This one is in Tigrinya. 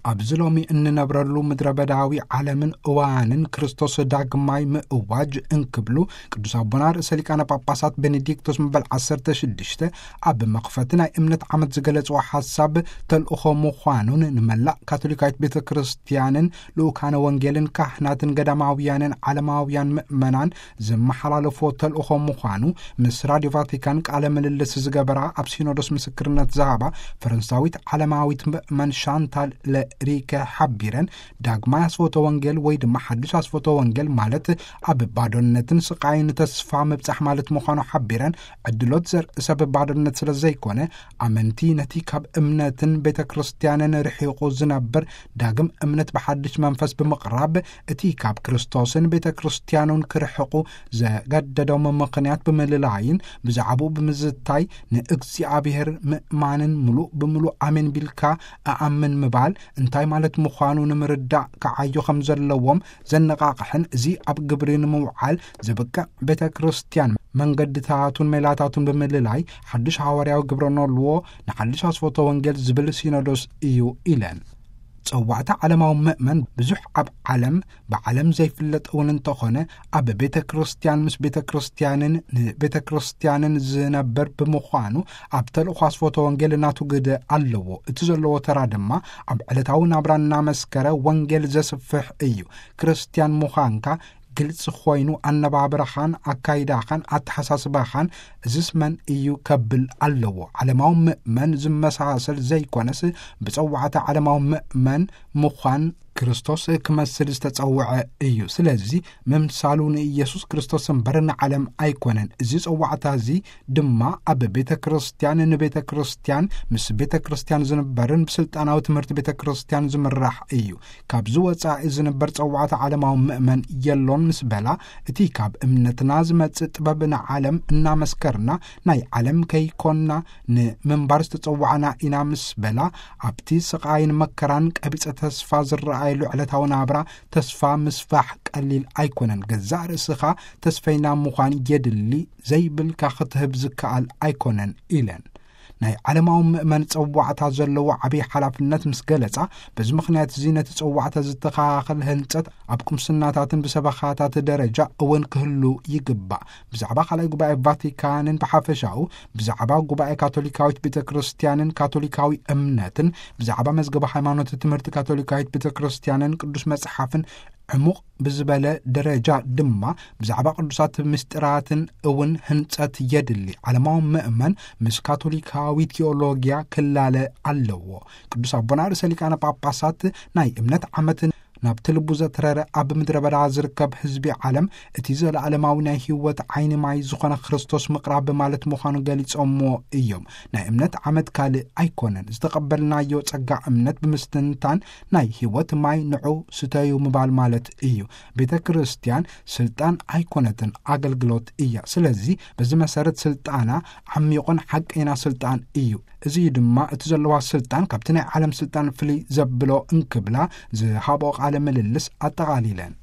ኣብዚ ሎሚ እንነብረሉ ምድረ በዳዊ ዓለምን እዋንን ክርስቶስ ዳግማይ ምእዋጅ እንክብሉ ቅዱስ ኣቦና ርእሰ ሊቃነ ጳጳሳት ቤኔዲክቶስ መበል ዓሰርተ ሽዱሽተ ኣብ መኽፈቲ ናይ እምነት ዓመት ዝገለጽዎ ሓሳብ ተልእኾ ምዃኑን ንመላእ ካቶሊካዊት ቤተ ክርስቲያንን ልኡካነ ወንጌልን ካህናትን ገዳማውያንን ዓለማውያን ምእመናን ዘመሓላለፎ ተልእኾ ምዃኑ ምስ ራዲዮ ቫቲካን ቃለ ምልልስ ዝገበራ ኣብ ሲኖዶስ ምስክርነት ዝሃባ ፈረንሳዊት ዓለማዊት ምእመን ሻንታል ለሪከ ሓቢረን ዳግማይ ኣስፎተ ወንጌል ወይ ድማ ሓዱሽ ኣስፎተ ወንጌል ማለት ኣብ ባዶነትን ስቃይን ተስፋ ምብጻሕ ማለት ምዃኑ ሓቢረን ዕድሎት ዘርኢ ሰብ ባዶነት ስለ ዘይኮነ ኣመንቲ ነቲ ካብ እምነትን ቤተ ክርስቲያንን ርሒቑ ዝነብር ዳግም እምነት ብሓድሽ መንፈስ ብምቕራብ እቲ ካብ ክርስቶስን ቤተ ክርስቲያኑን ክርሕቑ ዘገደዶም ምኽንያት ብምልላይን ብዛዕባኡ ብምዝታይ ንእግዚኣብሔር ምእማንን ምሉእ ብምሉእ ኣሜን ቢልካ እኣምን ምባል እንታይ ማለት ምዃኑ ንምርዳእ ክዓዩ ከም ዘለዎም ዘነቓቕሕን እዚ ኣብ ግብሪ ንምውዓል ዘብቅዕ ቤተ ክርስቲያን መንገድታቱን ሜላታቱን ብምልላይ ሓድሽ ሃዋርያዊ ግብረ ኖልዎ ንሓድሽ ኣስፎተ ወንጌል ዝብል ሲኖዶስ እዩ ኢለን። ጸዋዕታ ዓለማዊ ምእመን ብዙሕ ኣብ ዓለም ብዓለም ዘይፍለጥ እውን እንተኾነ ኣብ ቤተ ክርስቲያን ምስ ቤተ ክርስቲያንን ንቤተ ክርስቲያንን ዝነብር ብምዃኑ ኣብ ተልእኮ ኣስፎተ ወንጌል እናቱ ግደ ኣለዎ። እቲ ዘለዎ ተራ ድማ ኣብ ዕለታዊ ናብራ እናመስከረ ወንጌል ዘስፍሕ እዩ። ክርስቲያን ምዃንካ ግልጽ ኮይኑ ኣነባብራኻን ኣካይዳኻን ኣተሓሳስባኻን እዝስ መን እዩ ከብል ኣለዎ። ዓለማዊ ምእመን ዝመሳሰል ዘይኮነስ ብጸዋዕታ ዓለማዊ ምእመን ምዃን ክርስቶስ ክመስል ዝተጸውዐ እዩ። ስለዚ ምምሳሉ ንኢየሱስ ክርስቶስ እምበር ንዓለም ኣይኮነን። እዚ ጸዋዕታ እዚ ድማ ኣብ ቤተ ክርስቲያን ንቤተ ክርስቲያን ምስ ቤተ ክርስቲያን ዝንበርን ብስልጣናዊ ትምህርቲ ቤተ ክርስቲያን ዝምራሕ እዩ። ካብዚ ወጻኢ ዝንበር ጸዋዕታ ዓለማዊ ምእመን የሎን ምስ በላ እቲ ካብ እምነትና ዝመጽእ ጥበብ ንዓለም እናመስከርና ናይ ዓለም ከይኮንና ንምንባር ዝተጸዋዕና ኢና ምስ በላ ኣብቲ ስቓይን መከራን ቀቢጸ ተስፋ ዝረኣየሉ ዕለታዊ ናብራ ተስፋ ምስፋሕ ቀሊል ኣይኮነን። ገዛእ ርእስኻ ተስፈይና ምዃን የድሊ ዘይብልካ ክትህብ ዝከኣል ኣይኮነን ኢለን። ናይ ዓለማዊ ምእመን ጸዋዕታ ዘለዎ ዓብዪ ሓላፍነት ምስ ገለጻ በዚ ምኽንያት እዚ ነቲ ጸዋዕታ ዝተኸኻኸል ህንጸት ኣብ ቁምስናታትን ብሰበኻታት ደረጃ እውን ክህሉ ይግባእ። ብዛዕባ ካልኣይ ጉባኤ ቫቲካንን ብሓፈሻኡ ብዛዕባ ጉባኤ ካቶሊካዊት ቤተ ክርስቲያንን ካቶሊካዊ እምነትን ብዛዕባ መዝገበ ሃይማኖት ትምህርቲ ካቶሊካዊት ቤተ ክርስቲያንን ቅዱስ መጽሓፍን ዕሙቕ ብዝበለ ደረጃ ድማ ብዛዕባ ቅዱሳት ምስጢራትን እውን ህንጸት የድሊ። ዓለማዊ ምእመን ምስ ካቶሊካዊ ቲኦሎጊያ ክላለ ኣለዎ። ቅዱስ ኣቦና ርእሰ ሊቃነ ጳጳሳት ናይ እምነት ዓመት ናብቲ ልቡ ዘትረረ ኣብ ምድረ በዳ ዝርከብ ህዝቢ ዓለም እቲ ዘለዓለማዊ ናይ ህይወት ዓይኒ ማይ ዝኾነ ክርስቶስ ምቕራብ ማለት ምዃኑ ገሊጾምዎ እዮም። ናይ እምነት ዓመት ካልእ ኣይኮነን። ዝተቐበልናዮ ጸጋ እምነት ብምስትንታን ናይ ህይወት ማይ ንዑ ስተዩ ምባል ማለት እዩ። ቤተ ክርስቲያን ስልጣን ኣይኮነትን፣ ኣገልግሎት እያ። ስለዚ በዚ መሰረት ስልጣና ዓሚቑን ሓቀይና ስልጣን እዩ። እዚ ድማ እቲ ዘለዋ ስልጣን ካብቲ ናይ ዓለም ስልጣን ፍልይ ዘብሎ እንክብላ ዝሃብኦ ቃለ ምልልስ ኣጠቓሊለን።